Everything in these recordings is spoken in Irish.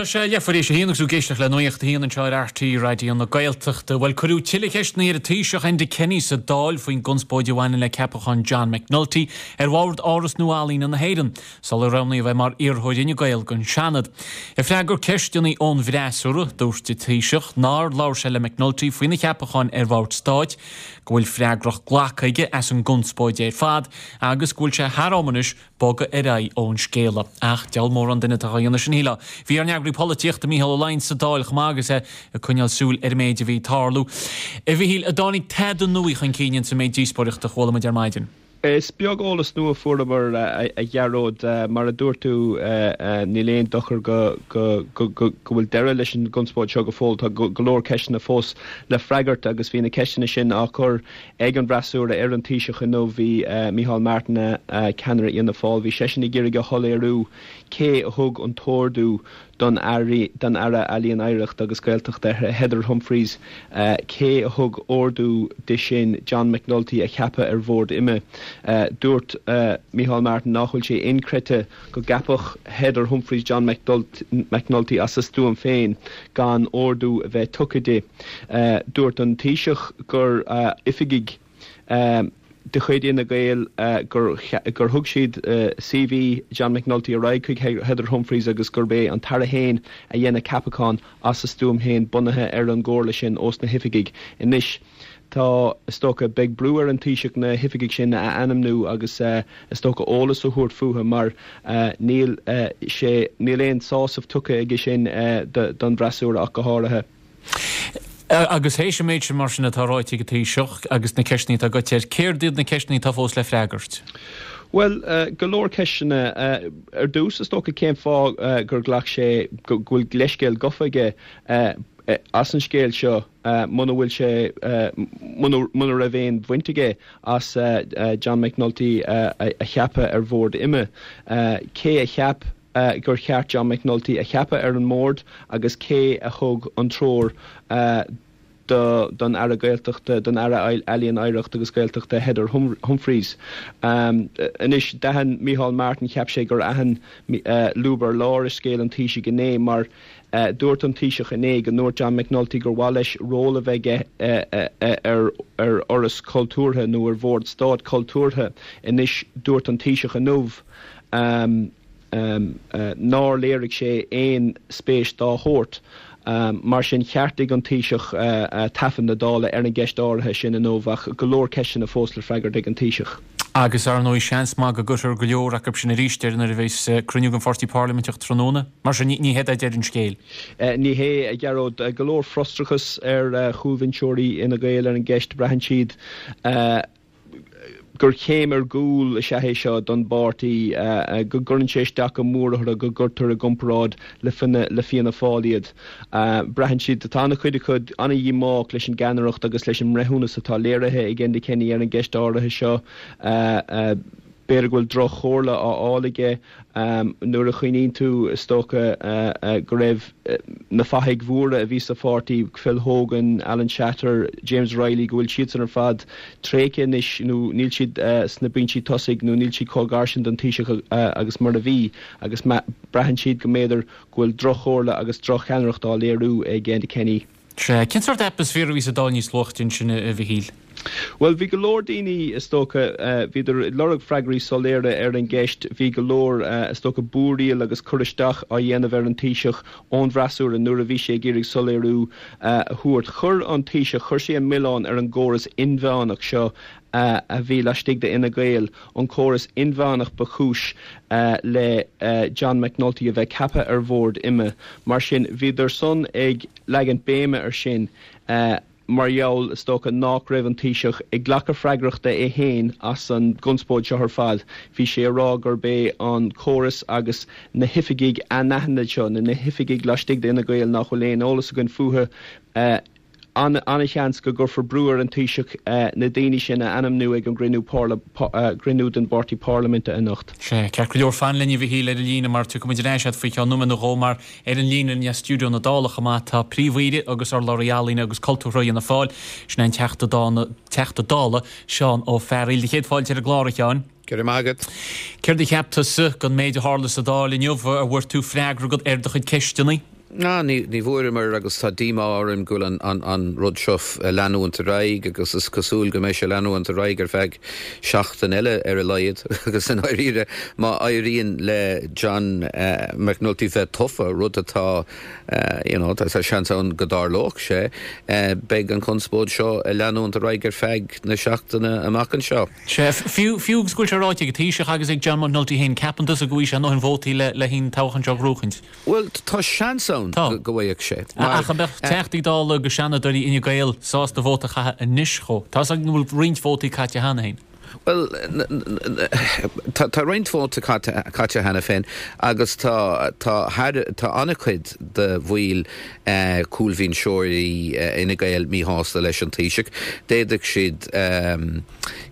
Tá sé leathuair tar éis a haon agus tú ag éisteacht le Nuacht a hAon anseo ar RTÉ Raidió na Gaeltachta. Bhuel, cuireadh tuilleadh ceisteanna ar an Taoiseach Enda Kenny sa Dáil faoin gconspóid a bhaineann le ceapachán John McNulty ar bhord Áras Nua-Ealaíne na hÉireann sular roghnaíodh é mar iarrthóir Fhine Gael don Seanad. Ag freagairt ceisteanna ón bhfreasúra, dúirt an Taoiseach nár labhair sé le McNulty faoina cheapachán ar bhord stáit, go bhfuil freagracht glactha aige as an gconspóid ar fad agus go bhfuil sé thar am anois bogadh ar aghaidh ón scéala. Ach deabhal mórán duine atá á dhéanamh sin, shílfeá. Bhí ár n-eagraí polaitíochta, Mícheál Ó Laighin, sa Dáil chomh maith agus é ag coinneáil súil ar an méid a bhí ag tarlú. A Mhichíl, an dtáinig tada nua chun cinn ins an méid díospóireachta a chuala muid ar maidin? Is beag eolas nua a fuaireamar, a Ghearóid. Mar a dúirt tú, níl aon dochar go bhfuil deireadh leis an gconspóid seo go fóill. Tá go leor ceisteanna fós le freagairt agus bhí na ceisteanna sin á cur ag an bhfreasúra ar an Taoiseach inniu. Bhí Micheál Martin, ceannaire Fhianna Fáil, bhí seisean ag iarraidh a shoiléiriú cé a thug an t-ordú don Aire Ealaíon, Oidhreachta agus Gaeltachta, Heather Humphreys, cé a thug ordú di sin John McNulty a cheapadh ar bhord IMMA. Dúirt Micheál Martin nach bhfuil sé inchreidte go gceapfadh Heather Humphreys John McNulty as a stuaim féin gan ordú a bheith tugtha di. Dúirt an Taoiseach gur oifigigh de chuid Fhine Gael gur thug siad CV John McNulty ar aghaidh chuig Heather Humphreys agus gurb é an tAire féin a dhein an ceapachán as a stuaim féin bunaithe ar an gcomhairle sin ós na hoifigigh. Anois tá, is dócha, beidh brú ar an Taoiseach na hoifigigh sin a ainmniú agus is dócha eolas a thabhairt fúthu mar níl sé, níl aon sásamh tugtha aige sin don bhfreasúra ach go háirithe. Agus théis an méid sin mar sin atá ráite ag an Taoiseach agus na ceisteanna atá goite air, céard iad na ceisteanna atá fós le freagairt? Bhuel, go leor ceisteanna. Ar dtús, is dócha, cén fáth gur ghlac sé, go bhfuil leithscéal gofa aige as an scéal seo muna bhfuil sé, muna raibh aon bhaint aige as John McNulty a cheapadh ar bhord IMMA. Cé a cheap gur cheart John McNulty a cheapadh ar an mbord agus cé a thug an treoir don Aire Gaeltachta, don Aire Ealaíon, Oidhreachta agus Gaeltachta Heather Humphreys. Anois, d'aithin Micheál Martin, cheap sé gur aithin lúb ar lár i scéal an Taoisigh inné mar dúirt an Taoiseach inné go ndúirt John McNulty gur mhaith leis ról a bheith aige ar fhoras cultúrtha nó ar bhord stáit cultúrtha. Anois, dúirt an Taoiseach inniu, nár léirigh sé aon spéis dá shórt. Mar sin, cheartaigh an Taoiseach taifead na Dála ar an gceist áirithe sin inniu, ach go leor ceisteanna fós le freagairt ag an Taoiseach. Agus, ar ndóigh, seans maith go gcuirfear go leor acu sin arís air nuair a bheas cruinniú den pháirtí parlaiminteach tráthnóna. Mar sin, ní hé deireadh an scéil. Ní hé, a Ghearóid. Go leor frustrachas ar chúlbhinseoirí Fhine Gael ar an gceist. Braitheann siad gur chéim ar gcúl is ea é seo don bpáirtí, go gcuireann sé isteach go mór orthu go gcuirtear i gcomparáid le Fianna Fáil iad. Braitheann siad, tá an-chuid acu an-dhíomách leis an gceannaireacht agus leis an mbreithiúnas atá léirithe ag Enda Kenny ar an gceist áirithe seo. B'fhéidir go bhfuil droch-chomhairle á fháil aige. Nuair a chuimhníonn tú, is dócha, go raibh na fathaigh mhóra a bhí sa pháirtí, Phil Hogan, Alan Shatter, James Reilly, go bhfuil siadsan ar fad tréigthe anois nó níl siad sna binsí tosaigh nó níl siad chomh gar sin don Taoiseach agus mar a bhí agus braitheann siad go mb'fhéidir go bhfuil droch-chomhairle agus droch-cheannaireacht á léiriú ag Enda Kenny. Sea. Cén sórt atmaisféar a bhí sa Dáil níos luaithe ansin, a Mhichíl? Bhuel, bhí go leor daoine, is dócha, bhíodar ag lorg freagraí soiléire ar an gceist. Bhí go leor, is dócha, búiríl agus cur isteach á dhéanamh ar an Taoiseach ón bhfreasúra nuair a bhí sé ag iarraidh soiléiriú a thabhairt. Chuir an Taoiseach, chuir sé an milleán ar an gcóras inmheánach seo a bhí laistigh d'Fhine Gael, an córas inmheánach ba chúis le John McNulty a bheith ceaptha ar bhord IMMA. Mar sin, bhíodar san ag leagaint béime ar sin mar gheall, is dócha, nách raibh an Taoiseach ag glacadh freagrachta é féin as an gconspóid seo ar fad. Bhí sé ag rá gurb é an córas agus na hoifigigh anaithnid seo, nó na hoifigigh laistigh d'Fhine Gael nach bhfuil aon eolas againn fúthu, An-sheans go gcuirfear brú ar an Taoiseach na daoine sin a ainmniú ag an gcruinniú gcruinniú den bpáirtí parlaiminte anocht. Sea, ceart go leor, fan linn a Mhichíl ar an líne mar tiocfaidh muid ar ais agat faoi cheann nóiméad nó dhó mar ar an líne linn as stiúideo na Dála chomh maith tá Príomh-Aoire agus urlabhraí ealaíne agus cultúrtha Fhianna Fáil, sin é an Teachta Teachta Dála Seán Ó Fearghaíl. Do chéad fáilte ar an gclár, a Sheáin. Go raibh maith agat. Céard a cheap tusa den méid a tharla sa Dáil inniu? An bhfuair tú freagra agat ar do chuid ceisteanna? Ná, ní bhfuaireamar agus tá díomá orainn go bhfuil an rud seo ag leanúint ar aghaidh agus is cosúil go mbeidh sé ag leanúint ar aghaidh ar feadh seachtain eile ar a laghad agus i ndáiríre má éiríonn le John McNulty bheith tofa, rud atá, you know, tá seans ann go dtarlódh sé, beidh an chonspóid seo ag leanúint ar aghaidh ar feadh na seachtaine amach anseo. Sea, fiú, fiú agus go bhfuil sé ráite ag an Taoiseach agus ag John McNulty féin, ceapann tusa go bhfaighidh sé a ndóthain vótaí le le an toghchán seo a ghnóchaint? Bhuel, tá seans ann go bhfaigheadh sé. Ach an mbeadh Teachtaí Dála agus Seanadóirí Fhine Gael sásta vóta a chaitheamh anois dhó? Tá 'fhios againn go bhfuil roinnt vótaí caite cheana féin. Bhuel, tá roinnt vóta caite cheana féin agus tá tá tá an-chuid de bhaill cúlbhinseoirí Fhine Gael míshásta leis an Taoiseach. D'fhéadfadh siad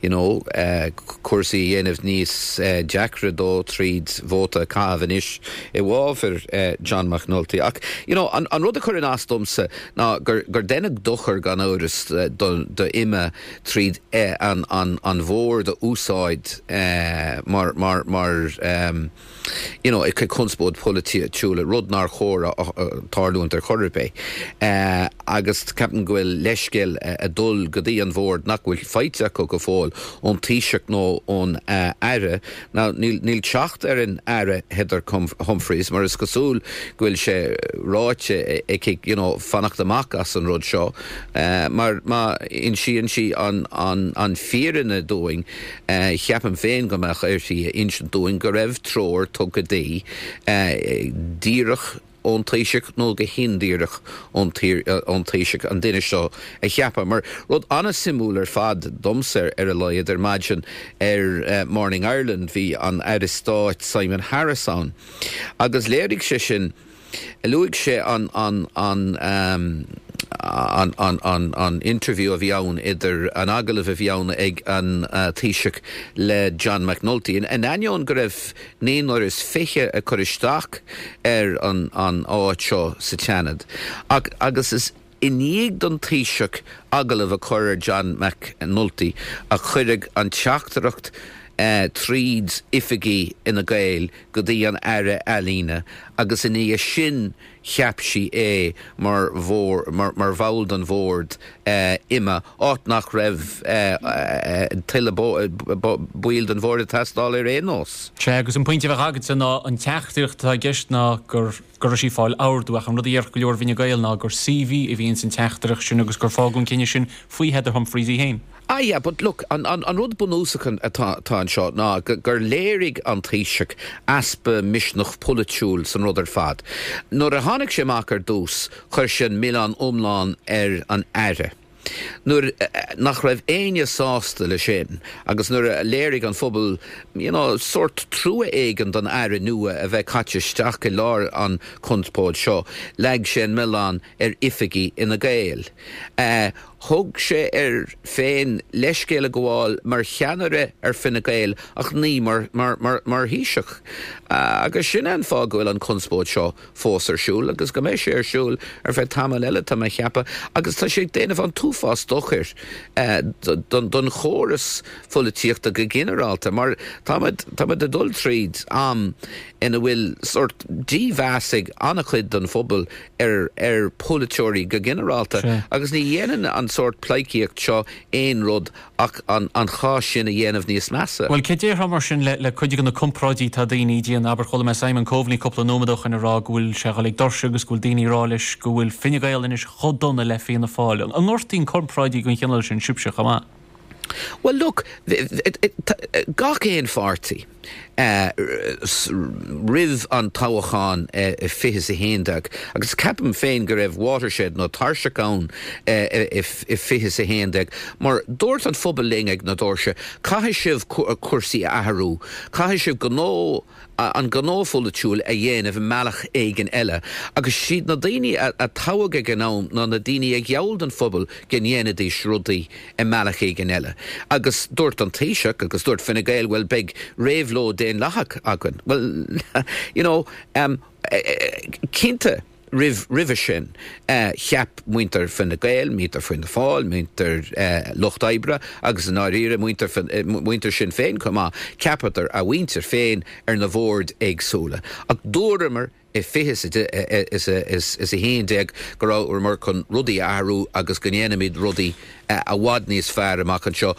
you know, cúrsaí a dhéanamh níos deacra dó tríd vóta a chaitheamh anois i bhfabhar John McNulty. Ach, you know, an rud a chuireann as domsa ná gur gur deineadh dochar gan amhras do do IMMA tríd an an an bhord a úsáid mar mar mar you know, ag conspóid polaitiúla, rud nár chóir tarlúint ar chor ar bith. Agus ceapaim go bhfuil leithscéal ag dul go dtí an bhord nach bhfuil faighte acu go fóill ón Taoiseach nó ón Aire. Now, níl, níl teacht ar an Aire Heather Humphreys mar is cosúil go bhfuil sé ráite aici, you know, fanacht amach as an rud seo mar má insíonn sí an, an, an fírinne dúinn, Ceapaim féin go mbeadh uirthi a insint dúinn go raibh treoir tugtha di, díreach ón Taoiseach nó go hindíreach ón Taoiseach, an duine seo a cheapadh. Mar rud an-suimiúil ar fad, domsa ar a laghad, ar maidin ar Morning Ireland bhí an Aire Stáit Simon Harris ann agus léirigh sé sin, Luaigh sé an an an an an an an interview a bhí ann idir an agallamh a bhí ann ag an Taoiseach le John McNulty. In ainneoin go raibh naonúr is 20 ag cur isteach ar an an áit seo sa tSeanad ach agus is i ndiaidh don Taoiseach agallamh a chur ar John McNulty a cuireadh an teachtaireacht tríd oifigí Fhine Gael go dtí an Aire Ealaíne agus ina dhiaidh sin cheap sí é mar mar bhall den bhord IMMA, áit nach raibh tuilleadh baill den bhord ag teastáil ar aon nós. Sea, agus an pointe a bheadh agatsa ná an teachtaireacht atá i gceist ná gur go raibh sí ag fáil ordú ach an rud a déarfadh go leor i bhFine Gael ná gur CV a bhí ins an teachtaireacht sin agus gur fágadh an cinneadh sin faoi Heather Humphreys í féin. Ah yeah, but look, an an rud bunúsach atá atá anseo ná gur léirigh an Taoiseach easpa misneach polaitiúil san rud ar fad. Nuair a tháinig sé amach ar dtús, chuir sé an milleán iomlán ar an Aire. Nuair nach raibh éinne sásta le sin agus nuair a léirigh an phobal you know sórt trua éigin don Aire nua a bheith caite isteach i lár an chonspóid seo, leag sé an milleán ar oifigí Fhine Gael. Thug sé air féin leithscéal a ghabháil mar cheannaire ar Fine Gael ach ní mar mar mar mar Thaoiseach. Agus sin é an fáth go bhfuil an chonspóid seo fós ar siúl agus go mbeidh sé ar siúl ar feadh tamaill eile, tá mé a cheapadh, agus tá sé ag déanamh an t-uafás dochair don chóras pholaitíochta go ginearálta mar táimid táimid ag dul tríd am ina bhfuil sórt dímheas ag an-chuid den phobal ar ar pholaiteoirí go ginearálta agus ní dhéanann an sórt pleidhcíocht seo aon rud ach an chás sin a dhéanamh níos measa. Bhuel, cé déarfá mar sin le cuid de na comparáidí atá daoine a dhéanamh, abair, chuala mé Simon Coveney cúpla nóiméad ó shoin ag rá go bhfuil sé ag dul ag doirse agus go bhfuil daoine ag rá leis go bhfuil Fine Gael anois chomh dona le Fianna Fáil. An ngortaíonn comparáidí den chineál sin sibhse chomh maith? Bhuel, look, gach aon pháirtí. roimh an toghchán i 2011 agus ceapaim féin go raibh watershed nó tairseach ann i 2011 mar dúirt an phobal linn ag na doirse caithfidh sibh cúrsaí a athrú, caithfidh sibh gnó an gnó pholaitiúil a dhéanamh i mbealach éigin eile agus siad na daoine a toghadh ag an am ná na daoine a gheall don phobal go ndéanfaidís rudaí i mbealach éigin eile. Agus dúirt an Taoiseach agus dúirt Fine Gael, bhuel, beidh réabhlóid daonlathach againn. Bhuel, you know, cinnte. Roimh roimhe sin, cheap muintir Fine Gael, muintir Fianna Fáil, muintir Lucht Oibre agus i ndáiríre muintir muintir Sinn Féin chomh maith, cheapadar a mhuintir féin ar na bhoird éagsúla. Ach dúramar i 20 is a 11 go rabhamar chun rudaí a athrú agus go ndéanfaimid rudaí i bhfad níos fearr amach anseo.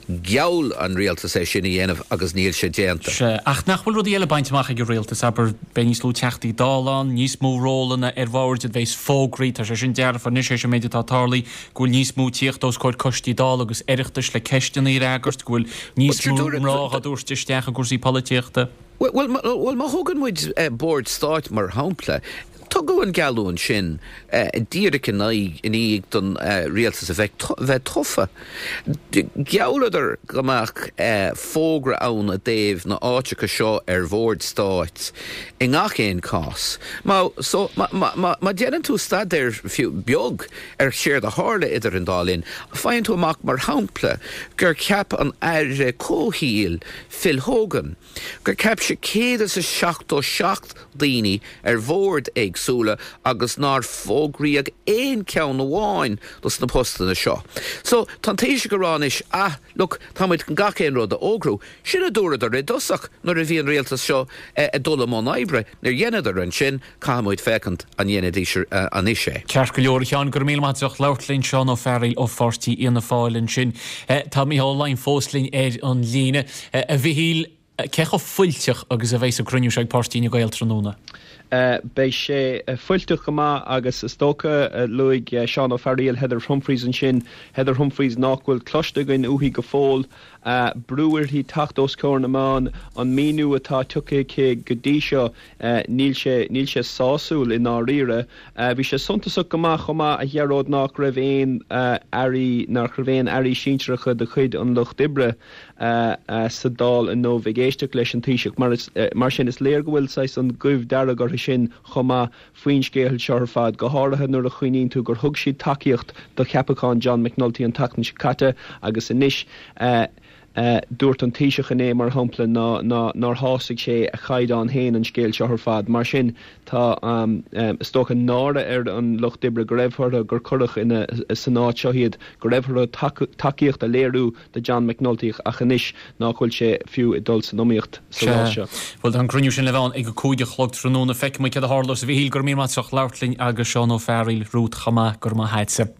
Gheall an rialtas é sin a dhéanamh agus níl sé déanta. Sea, ach nach bhfuil rudaí eile bainte amach ag an rialtas, abair, beidh níos lú Teachtaí Dála ann, níos mó rólanna ar bhoird a bheas fógraí, tá sé sin dearfa anois, théis an méid atá tarlaithe, go bhfuil níos mó tíocht os comhair coistí Dála agus Oireachtais le ceisteanna a fhreagairt, go bhfuil níos mó mná á dtabhairt isteach i gcúrsaí polaitíochta. Bhuel, má thógann muid Bord Stáit mar shampla, tugadh an geallúint sin díreach i ndiaidh don rialtas a bheith tofa. Ghealladar go mbeadh fógra ann i dtaobh na áiteacha seo ar Bhord Stáit i ngach aon chás. So, má dhéanann tú staidéar fiú beag ar séard a tharla idir an dá linn, faigheann tú amach mar shampla gur cheap an Aire Comhshaoil Phil Hogan, gur cheap sé 177 daoine ar bhoird éagsúla agus nár fógraíodh aon cheann amháin dos na postanna seo. So, tá an Taoiseach ag rá anois, ah, look, tá muid chun gach aon rud a fhógrú. Sin a dúradar i dtosach nuair a bhí an rialtas seo ag dul i mbun oibre. Níor dheineadar ansin, caithfidh muid féachaint an ndéanfaidís anois é. Ceart go leor, a Sheáin, go raibh míle maith agat as ucht labhairt linn. Seán Ó Fearghaíl ó Pháirtí Fhianna Fáil ansin. Tá Micheál Ó Laighin fós linn ar an líne. A Mhichíl, cé chomh fuilteach agus a bheas an cruinniú seo ag Páirtí Fhine Gael tráthnóna? Beidh sé fuilteach go maith agus is dócha, luaigh Seán Ó Fearghaíl Heather Humphreys ansin, Heather Humphreys nách bhfuil cloiste againn uaithi go fóill. Brú uirthi teacht os comhair na meán, an míniú atá tugtha aici go dtí seo, níl sé, níl sé sásúil i ndáiríre. Bhí sé suntasach go maith chomh maith, a Ghearóid, nách raibh aon airí, nach raibh aon airí sinsearacha de chuid an Lucht Oibre sa Dáil inniu ag éisteacht leis an Taoiseach. Mar, mar sin, is léir go bhfuil saghas an ghoimh dearg orthu sin chomh maith faoin scéal seo ar fad, go háirithe nuair a chuimhníonn tú gur thug siad tacaíocht do cheapachán John McNulty an tseachtain seo caite agus anois dúirt an Taoiseach inné, mar shampla, nár shásaigh sé a chaighdeán féin an scéal seo ar fad. Mar sin, tá, is dócha, náire ar an Lucht Oibre go raibh orthu, gur cuireadh ina, san áit seo iad, go raibh orthu tacaíocht a léiriú do John McNulty ach anois nách bhfuil sé fiú ag dul san iomaíocht sa rás seo. Bhuel, tá an cruinniú sin le bheith ann ag a 5 a chlog tráthnóna. Feicfidh muid céard a tharlós. A Mhichíl, go raibh míle maith agat as ucht labhairt linn agus Seán Ó Fearghaíl romhat chomh maith. Go raibh maith agatsa.